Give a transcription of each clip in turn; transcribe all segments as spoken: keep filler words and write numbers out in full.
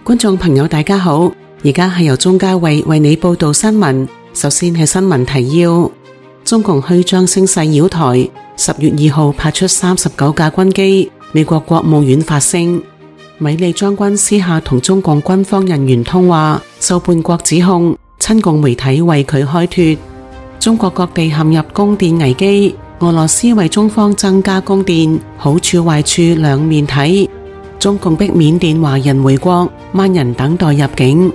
觀眾朋友大家好，而家係由鍾嘉慧為你報道新聞。首先係新聞提要：中共虛張聲勢擾台，十月二號派出三十九架軍機。美國國務院發聲，米利將軍私下同中共軍方人員通話，受叛國指控，親共媒體為佢開脫。中國各地陷入供電危機，俄羅斯為中方增加供電，好處壞處兩面睇。中共逼緬甸華人回國，萬人等待入境。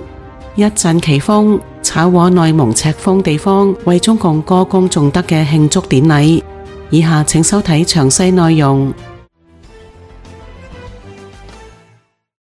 一陣奇風，炒鍋內蒙赤峰地方為中共歌功頌德嘅慶祝典禮。以下請收睇詳細內容。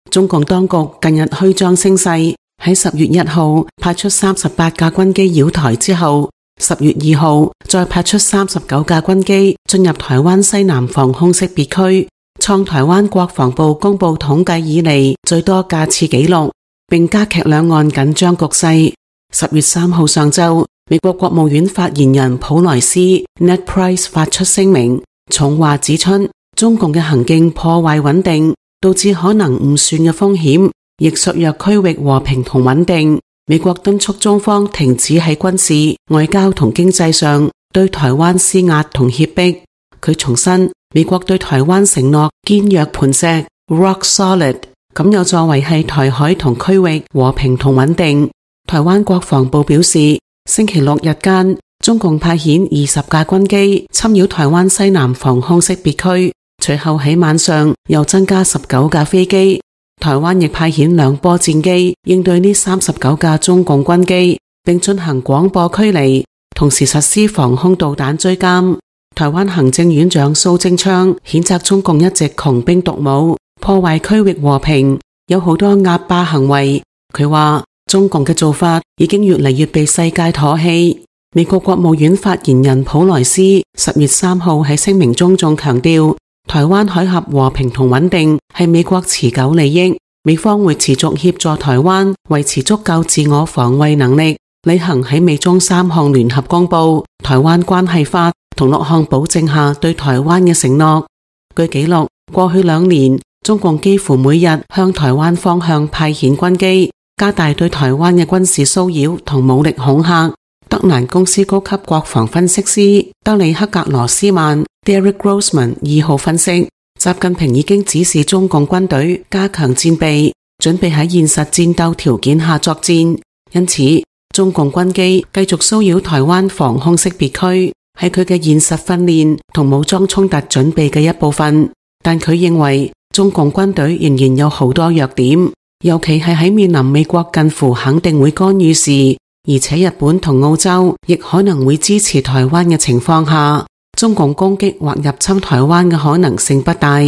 中共當局近日虛張聲勢，喺十月一號派出三十八架軍機擾台之後，十月二號再派出三十九架軍機進入台灣西南防空識別區，創台灣國防部公布統計以嚟最多架次紀錄，並加劇兩岸緊張局勢。十月三號上晝，美國國務院發言人普萊斯 Ned Price 發出聲明，重話指出中共嘅行徑破壞穩定，導致可能誤算嘅風險，亦削弱區域和平同穩定。美國敦促中方停止喺軍事、外交同經濟上對台灣施壓同脅迫。佢重申，美國對台灣承諾堅若磐石 （rock solid）， 咁有助維繫台海同區域和平同穩定。台灣國防部表示，星期六日間，中共派遣二十架軍機侵擾台灣西南防空識別區，隨後喺晚上又增加十九架飛機。台灣亦派遣兩波戰機應對呢三十九架中共軍機，並進行廣播驅離，同時實施防空導彈追監。台灣行政院長蘇貞昌譴責中共一直窮兵黷武，破壞區域和平，有好多壓霸行為。佢話中共嘅做法已經越嚟越被世界唾棄。美國國務院發言人普萊斯十月三號喺聲明中仲強調，台灣海峽和平同穩定係美國持久利益，美方會持續協助台灣維持足夠自我防衛能力，履行喺美中三項聯合公佈、台灣關係法同六項保證下對台灣嘅承諾。據記錄，過去兩年，中共幾乎每日向台灣方向派遣軍機，加大對台灣嘅軍事騷擾同武力恐嚇。德蘭公司高級國防分析師德里克格羅斯曼 Derek Grossman 二號分析，習近平已經指示中共軍隊加強戰備，準備喺現實戰鬥條件下作戰。因此，中共軍機繼續騷擾台灣防空識別區，係佢嘅現實訓練同武裝衝突準備嘅一部分。但佢認為，中共軍隊仍然有好多弱點，尤其係喺面臨美國近乎肯定會干預時，而且日本同澳洲亦可能會支持台灣嘅情況下，中共攻擊或入侵台灣嘅可能性不大。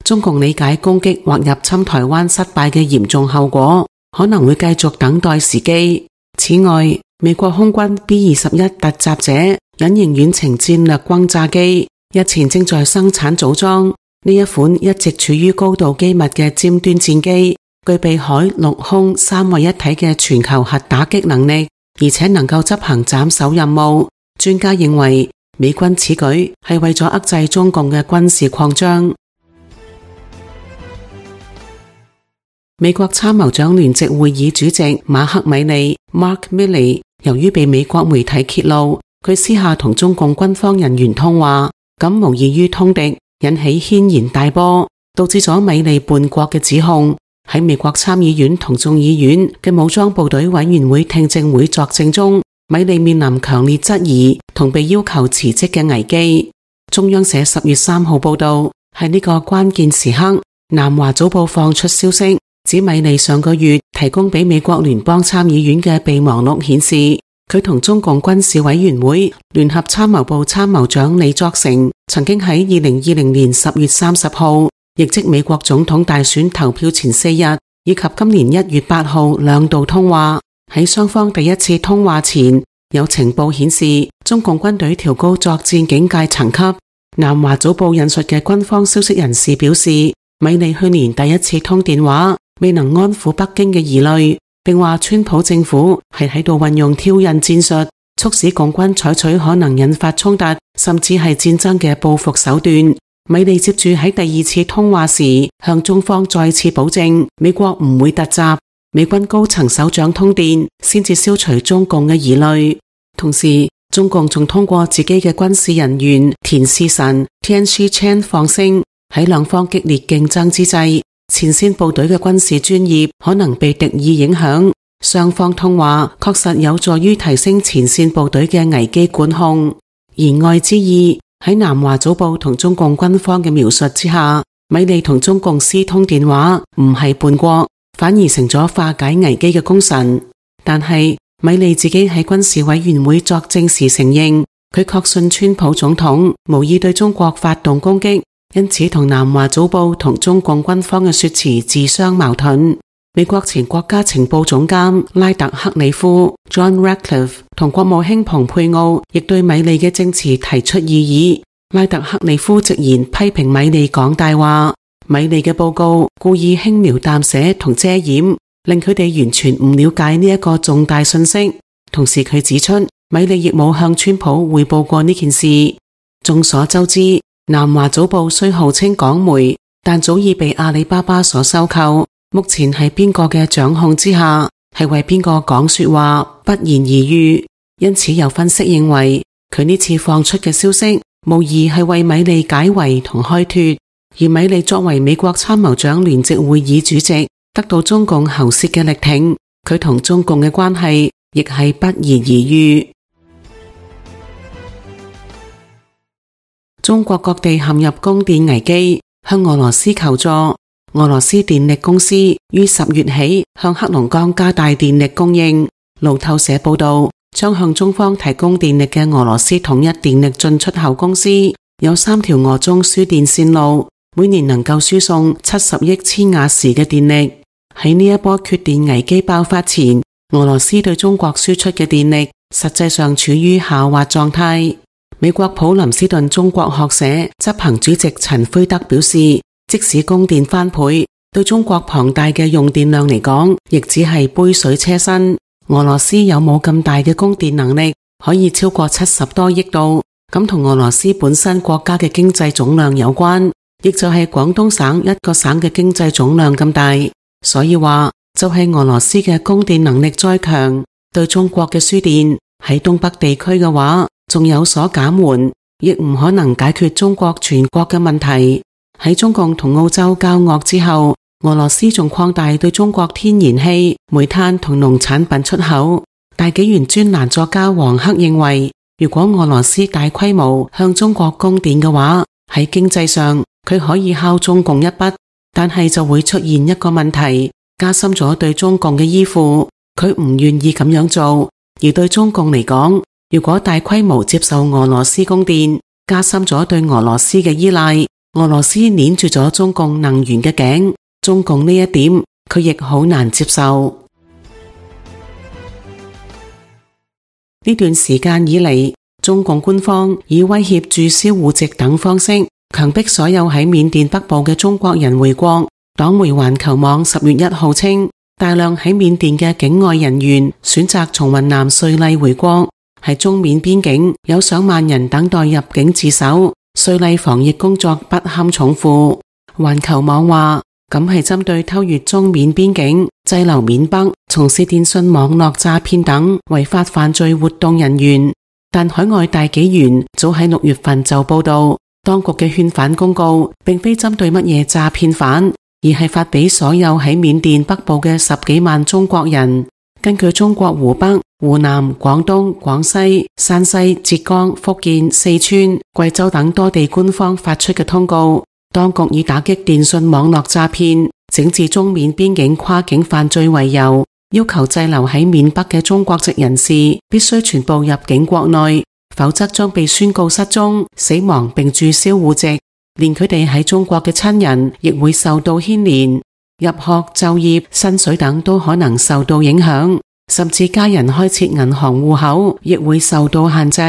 中共理解攻擊或入侵台灣失敗嘅嚴重後果，可能會繼續等待時機。此外，美國空軍 B 二十一突襲者隱形遠程戰略轟炸機日前正在生產組裝，呢一款一直處於高度機密嘅尖端戰機，具備海陸空三位一體嘅全球核打擊能力，而且能夠執行斬首任務。專家認為，美軍此舉係為咗遏制中共嘅軍事擴張。美國參謀長聯席會議主席馬克米利 Mark Milley 由於被美國媒體揭露，佢私下同中共軍方人員通話，咁無異於通敵，引起軒然大波，導致咗米利叛國嘅指控。喺美國參議院同眾議院嘅武裝部隊委員會聽證會作證中，米利面臨強烈質疑同被要求辭職嘅危機。中央社十月三號報道，喺呢個關鍵時刻，南華早報放出消息，指米利上個月提供俾美國聯邦參議院嘅備忘錄顯示，佢同中共軍事委員會聯合參謀部參謀長李作成曾經喺二零二零年十月三十號，亦即美國總統大選投票前四日，以及今年一月八號兩度通話。喺雙方第一次通話前，有情報顯示中共軍隊調高作戰警戒層級。南華早報引述嘅軍方消息人士表示，米利去年第一次通電話未能安撫北京嘅疑慮，並話川普政府係喺度運用挑釁戰術，促使共軍採取可能引發衝突甚至係戰爭嘅報復手段。米利接住喺第二次通話時向中方再次保證美國唔會突襲，美軍高層首長通電先至消除中共嘅疑慮。同時中共仲通過自己嘅軍事人員田士臣 Tian Shi-Chen 放聲，喺兩方激烈競爭之際，前線部隊嘅軍事專業可能被敵意影響。雙方通話確實有助於提升前線部隊嘅危機管控。言外之意，喺南華早報同中共軍方嘅描述之下，米利同中共私通電話唔係叛國，反而成咗化解危機嘅功臣。但係米利自己喺軍事委員會作證時承認，佢確信川普總統無意對中國發動攻擊，因此同南華早報同中共軍方嘅說辭自相矛盾。美國前國家情報總監拉特克里夫 John Ratcliffe 同國務卿蓬佩奧亦對米利嘅證詞提出異議。拉特克里夫直言批評米利講大話，米利嘅報告故意輕描淡寫同遮掩，令佢哋完全唔了解呢一個重大信息。同時佢指出，米利亦冇向川普匯報過呢件事。眾所周知，南華早報雖號稱港媒，但早已被阿里巴巴所收購。目前喺邊個嘅掌控之下，係為邊個講說話，不言而喻。因此有分析認為，佢呢次放出嘅消息無疑係為米利解圍同開脫。而米利作為美國參謀長聯席會議主席，得到中共喉舌嘅力挺，佢同中共嘅關係亦係不言而喻。中國各地陷入供電危機，向俄羅斯求助。俄羅斯電力公司於十月起向黑龍江加大電力供應。路透社報道，將向中方提供電力嘅俄羅斯統一電力進出口公司有三條俄中輸電線路，每年能夠輸送七十億千瓦時嘅電力。喺呢一波缺電危機爆發前，俄羅斯對中國輸出嘅電力實際上處於下滑狀態。美國普林斯頓中國學社執行主席陳輝德表示，即使供電翻倍，對中國龐大嘅用電量嚟講，亦只係杯水車薪。俄羅斯有冇咁大嘅供電能力，可以超過七十多億度？咁同俄羅斯本身國家嘅經濟總量有關，亦就係廣東省一個省嘅經濟總量咁大。所以話就係俄羅斯嘅供電能力再強，對中國嘅輸電喺東北地區嘅話，仲有所減緩，亦唔可能解決中國全國嘅問題。喺中共同澳洲交惡之後，俄羅斯仲擴大對中國天然氣、煤炭同農產品出口。大紀元專欄作家黃克認為，如果俄羅斯大規模向中國供電嘅話，喺經濟上佢可以敲中共一筆，但係就會出現一個問題，加深咗對中共嘅依附。佢唔願意咁樣做，而對中共嚟講，如果大規模接受俄羅斯供電，加深咗對俄羅斯嘅依賴，俄羅斯捏住咗中共能源嘅頸，中共呢一點佢亦好難接受。呢段時間以嚟，中共官方以威脅註銷戶籍等方式，強迫所有喺緬甸北部嘅中國人回國。黨媒環球網十月一號稱，大量喺緬甸嘅境外人員選擇從雲南瑞麗回國，喺中緬邊境有上萬人等待入境自首。瑞麗防疫工作不堪重負。環球網話，咁係針對偷越中緬邊境、滯留緬北、從事電信網絡詐騙等違法犯罪活動人員。但海外大紀元早喺六月份就報道，當局嘅勸返公告並非針對乜嘢詐騙犯，而係發俾所有喺緬甸北部嘅十幾萬中國人。根據中國湖北、湖南、廣東、廣西、山西、浙江、福建、四川、貴州等多地官方發出嘅通告，當局以打擊電信網絡詐騙、整治中緬邊境跨境犯罪為由，要求滯留喺緬北嘅中國籍人士必須全部入境國內，否則將被宣告失蹤、死亡並註銷戶籍，連佢哋喺中國嘅親人亦會受到牽連。入學、就業、薪水等都可能受到影響，甚至家人開設銀行戶口亦會受到限制。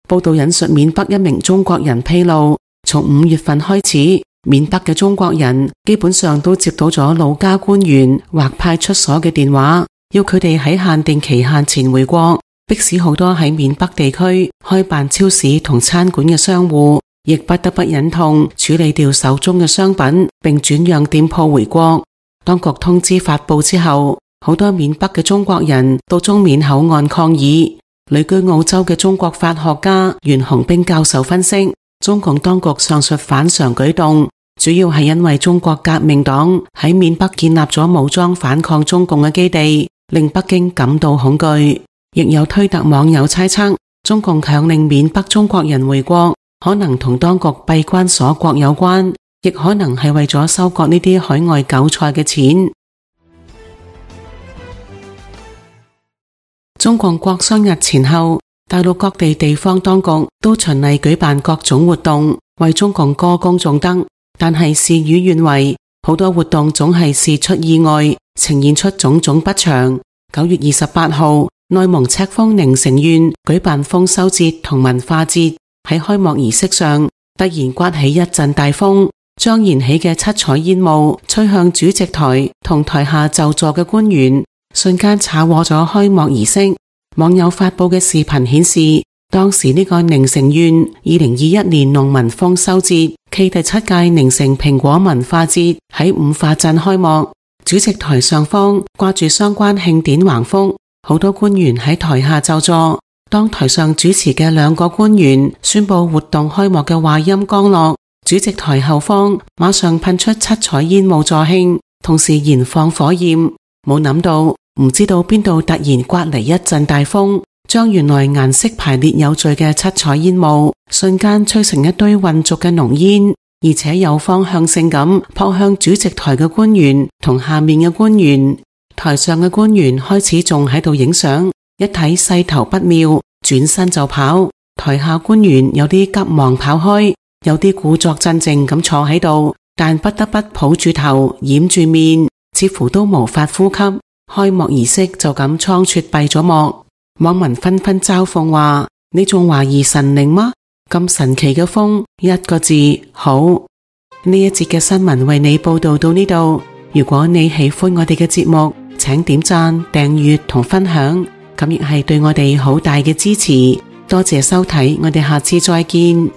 報道引述緬北一名中國人披露，從五月份開始，緬北嘅中國人基本上都接到咗老家官員或派出所嘅電話，要佢哋喺限定期限前回國，迫使好多喺緬北地區開辦超市同餐館嘅商戶，亦不得不忍痛處理掉手中嘅商品，並轉讓店鋪回國。當局通知發佈之後，好多緬北嘅中國人到中緬口岸抗議。旅居澳洲嘅中國法學家袁洪兵教授分析，中共當局上述反常舉動，主要係因為中國革命黨喺緬北建立咗武裝反抗中共嘅基地，令北京感到恐懼。亦有推特網友猜測，中共強令緬北中國人回國，可能同當局閉關鎖國有關，亦可能係為咗收割呢啲海外韭菜嘅錢。中共國殤日前後，大陸各地地方當局都循例舉辦各種活動，為中共歌功頌德。但係事與願違，好多活動總係事出意外，呈現出種種不祥。九月二十八號，內蒙赤峰寧城縣舉辦豐收節同文化節，喺開幕儀式上突然颳起一陣大風，張燃起嘅七彩煙霧吹向主席台同台下就座嘅官員，瞬間炒禍咗開幕儀式。網友發佈嘅視頻顯示，當時呢個寧城縣二零二一年農民豐收節暨第七屆寧城蘋果文化節喺五化鎮開幕，主席台上方掛住相關慶典橫幅，好多官員喺台下就座。當台上主持嘅兩個官員宣布活動開幕嘅話音剛落，主席台後方馬上噴出七彩煙霧助慶，同時燃放火焰。冇諗到，唔知道邊度突然颳嚟一陣大風，將原來顏色排列有序嘅七彩煙霧瞬間吹成一堆混濁嘅濃煙，而且有方向性咁撲向主席台嘅官員同下面嘅官員。台上嘅官員開始仲喺度影相，一睇勢頭不妙，轉身就跑。台下官員有啲急忙跑開，有啲故作鎮靜咁坐喺度，但不得不抱住頭掩住面，似乎都無法呼吸。開幕儀式就咁倉促閉咗幕。網民紛紛嘲諷話：你仲懷疑神靈嗎？咁神奇嘅風，一個字好。呢一節嘅新聞為你報道到呢度。如果你喜歡我哋嘅節目，請點讚、訂閱同分享，咁亦係對我哋好大嘅支持。多謝收睇，我哋下次再見。